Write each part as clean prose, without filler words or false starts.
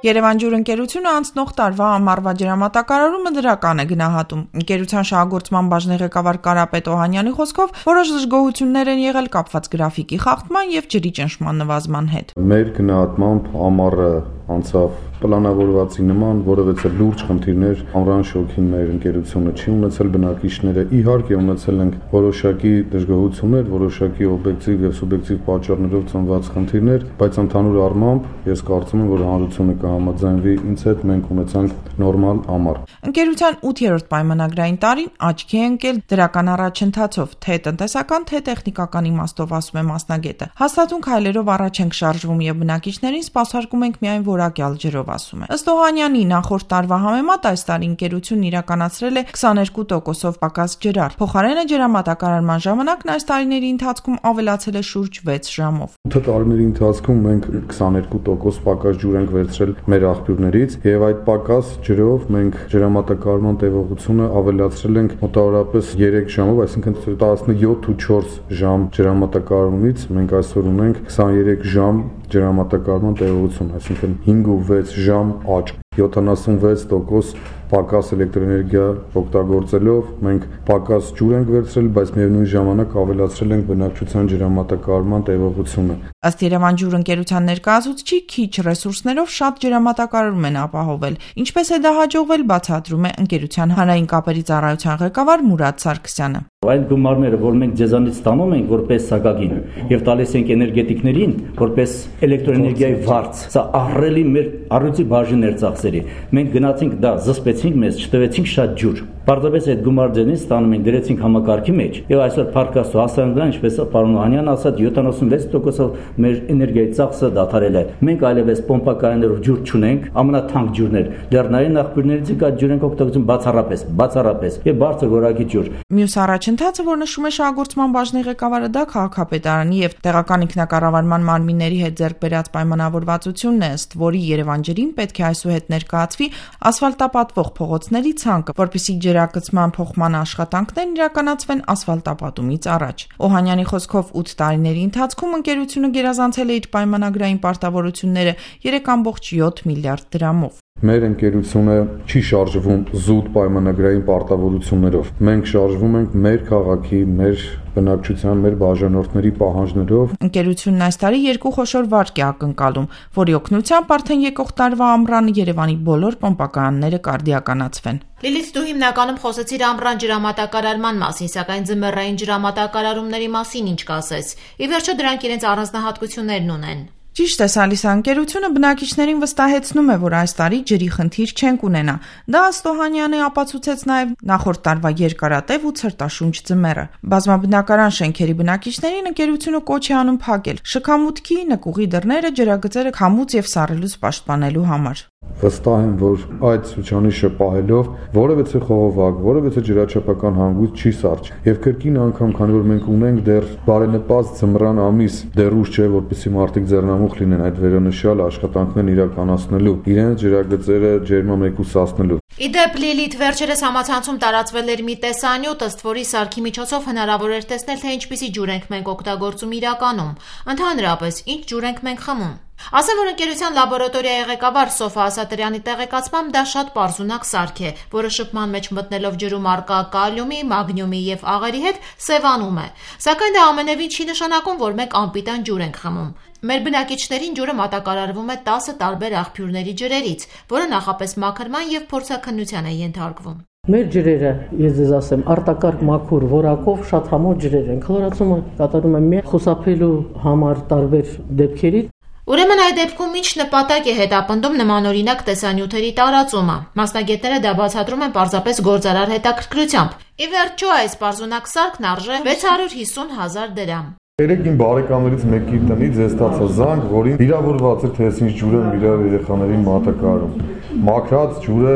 Երևան ջուր ընկերությունը անցնող տարվա ամառվա ջրամատակարարումը դրական է գնահատում։ Ընկերության շահագործման բաժնի ղեկավար Կարապետ Օհանյանի խոսքով որոշ դժգոհություններ են եղել կապված գրաֆիկի խախտման եւ ջրի ճնշման նվազման հետ։ Մեր գնահատմամբ ամառը անցավ պլանավորվածի նման, որովհետև լուրջ խնդիրներ ամռան շոգին մեր ընկերությունը չի ունեցել, բնակիչները իհարկե ունեցել են որոշակի դժգոհություններ, որոշակի օբյեկտիվ եւ սուբյեկտիվ պատճառներով ծնված խնդիրներ, բայց ընդհանուր առմամբ ես կարծում եմ, որ հանրությունը կհամաձայնվի ինձ հետ, մենք ունեցանք նորմալ ամառ։ Ընկերության 8-րդ պայմանագրային տարին աչքի է ընկել դրական առաջընթացով, թե տնտեսական, թե տեխնիկական իմաստով, ասում է մասնագետը։ Հաստատուն քայլերով առաջ ենք շարժվում եւ բնակիչներին սպասարկում ենք միայն որակյալ ջրով, ասում է։ Ըստ Օհանյանի, նախորդ տարվա համեմատ այս տարի ընկերությունն իրականացրել է 22%-ով պակաս ջրար։ Փոխարենը ջրամատակարարման ժամանակն այս տարիների ընթացքում ավելացել է շուրջ 6 ժամով։ 8 տարիների ընթացքում մենք 22% պակաս ջուր ենք վերցրել մեր աղբյուրներից եւ այդ պակաս ջրով մենք ջրամատակարարման տևողությունը ավելացրել ենք մոտավորապես 3 ժամով, այսինքն 17-4 ժամ ջրամատակարարումից մենք այսօր ունենք 23 ժամ ջրամատակարարման տևողություն, այսինքն 5 ու 6 ժամ աճ, 76% պակաս էլեկտրոէներգիա օգտագործելով մենք պակաս ջուր ենք վերցրել, բայց միևնույն ժամանակ ավելացրել ենք բնակչության ջրամատակարարման տևողությունը։ Ըստ Երևան ջուր ընկերության ներկայացուցչի, քիչ ռեսուրսներով շատ ջրամատակարարում են ապահովել։ Ինչպես է դա հաջողվել, բացատրում է ընկերության հանրային կապերի ծառայության ղեկավար Մուրադ Սարգսյանը։ Այդ գումարները, որ մենք ձեզանից ստանում ենք որպես սակագին եւ տալիս ենք էներգետիկներին որպես էլեկտրոէներգիայի վարձ, սա ահռելի մեր առյուծի բաժին էր ծախսերի։ Մենք գնացինք դա զսպեցինք մեզ, չտվեցինք շատ ջուր։ Պարզապես այդ գումար ձենից ստանում ենք, դրեցինք համակարգի մեջ եւ այսօր փառքաստու հասանք դրան, ինչպես պարոն Օհանյանն ասաց, 76%-ով մեր էներգիայի ծախսը դադարել է։ Մենք այլևս պոմպակայաններով ջուր չունենք, ամենաթանկ ջուրներ, լեռնային աղբյուրներից կա ջուր ենք օգտագործում բացառապես եւ բարձր որակի ջուր։ Մյուս առաջընթացը, որ նշում է շահագործման բաժնի ղեկավարը, դա քաղաքապետարանի եւ տեղական ինքնակառավարման մարմինների հետ ձեռք բերած պայմանավորվածությունն է, ըստ որի Երևան ջրին պետք է այսուհետ ներկայացվի ասֆալտապատվող փողոցների ցանկը, որպեսզի ջրակցման փոխման աշխատանքներն իրականացվեն ասֆալտապատումից առաջ։ Օհանյանի խոսքով 8 տարիների ընթացքում ընկերությունը գերազանցել է իր պայմանագրային պարտավորությունները 3.7 միլիարդ դրամով։ Մեր ընկերությունը չի շարժվում զուտ պայմանագրային պարտավորություններով։ Մենք շարժվում ենք մեր քաղաքի, մեր բնակչության, մեր բաժանորդների պահանջներով։ Ընկերությունն այս տարի 2 խոշոր վարկ է ակնկալում, որի օգնությամբ արդեն եկող տարվա ամռան Երևանի բոլոր պոմպակայանները կարդիականացվեն։ Լիլիթ, դու հիմնականում խոսեցիր ամռան ջրամատակարարման մասին, սակայն ձմեռային ջրամատակարարումների մասին ինչ կասես։ Ի վերջո դրանք իրենց առանձնահատկություններն ունեն։ Ճիշտ է, Սալիսա, ընկերությունը բնակիչներին վստահեցնում է, որ այս տարի ջրի խնդիր չենք ունենա։ Դա ըստ Օհանյանի ապացուցեց նաև նախորդ տարվա երկարատև ու ցրտաշունչ ձմեռը։ Բազմաբնակարան շենքերի բնակիչներին ընկերությունը կոչ է անում փակել շքամուտքի, նկուղի դռները ջրագծերը քամուց եւ սառելուց պաշտպանելու համար։ Վստահ եմ, որ այդ ցուցանիշը պահելով որևէ խողովակ, որևէ ջրաչափական հանգույց չի սառչի։ Եվ կրկին անգամ, քանի որ մենք ունենք դեռ բարենպաստ ձմռան ամիս, դեռ ուշ չէ, որպեսզի մարդիկ ձեռնամուխ լինեն այդ վերոնշյալ աշխատանքներն իրականացնելու, իրենց ջրագծերը ջերմամեկուսացնելու։ Իդեպ Լիլիթ, վերջերս համացանցում տարածվել էր մի տեսանյութ, ըստ որի սարքի միջոցով հնարավոր էր տեսնել, թե ինչպիսի ջուր ենք մենք օգտագործում իրականում։ Ընդհանրապես, ինչ ջուր ենք մենք խմում։ Ասեմ, որ ընկերության լաբորատորիայի ղեկավար Սոֆա Ասատրյանի տեղեկացմամբ դա շատ պարզունակ սարք է, որը շփման մեջ մտնելով ջրում առկա կալիումի, մագնիումի եւ աղերի հետ սևանում է։ Սակայն դա ամենևին չի նշանակում, որ մենք անպիտան ջուր ենք խմում։ Մեր բնակիչներին ջուրը մատակարարվում է 10 տարբեր աղբյուրների ջրերից, որը նախապես մաքրման եւ փորձաքննության է ենթարկվում։ Մեր ջրերը, ես ձեզ ասեմ, արտակարգ մաքուր որակով շատ համով ջրեր են։ Քլորացումը կատարում է միայն խուսափելու համար տարբեր դեպքերից։ Ուրեմն այդ դեպքում ինչ նպատակ է հետապնդում նմանօրինակ տեսանյութերի տարածումը։ Մասնագետները դա բացատրում են պարզապես գործարար հետաքրքրությամբ։ Ի վերջո այս պարզունակ սարքն արժե 650,000 դրամ։ Երեք իմ բարեկամներից մեկի տնից ես ստացա զանգ, որին վիրավորված էր, թե ինչ ջուր եմ իր երեխաներին մատակարարում։ Մաքրած ջուրը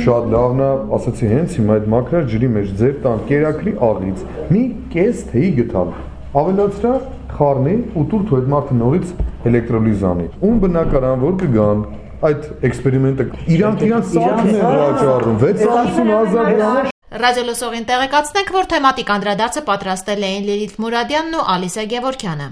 շատ լավն է, ասացի հենց հիմա այդ մաքրած ջրի մեջ ձեր տան կերակրի աղից մի կես թեյ գտալ։ Ավելացրա խառնի ու տուր թույլ մարդը նորից էլեկտրոլիզ անի։ Ում բնակարան որ կգան այդ էքսպերիմենտը իրանք սարքն են վաճառում 650,000 դրամ։ Ռադիոլսողին տեղեկացնենք, որ թեմատիկ անդրադարձը պատրաստել էին Լիլիթ Մուրադյանն ու Ալիսա Գևորգյանը։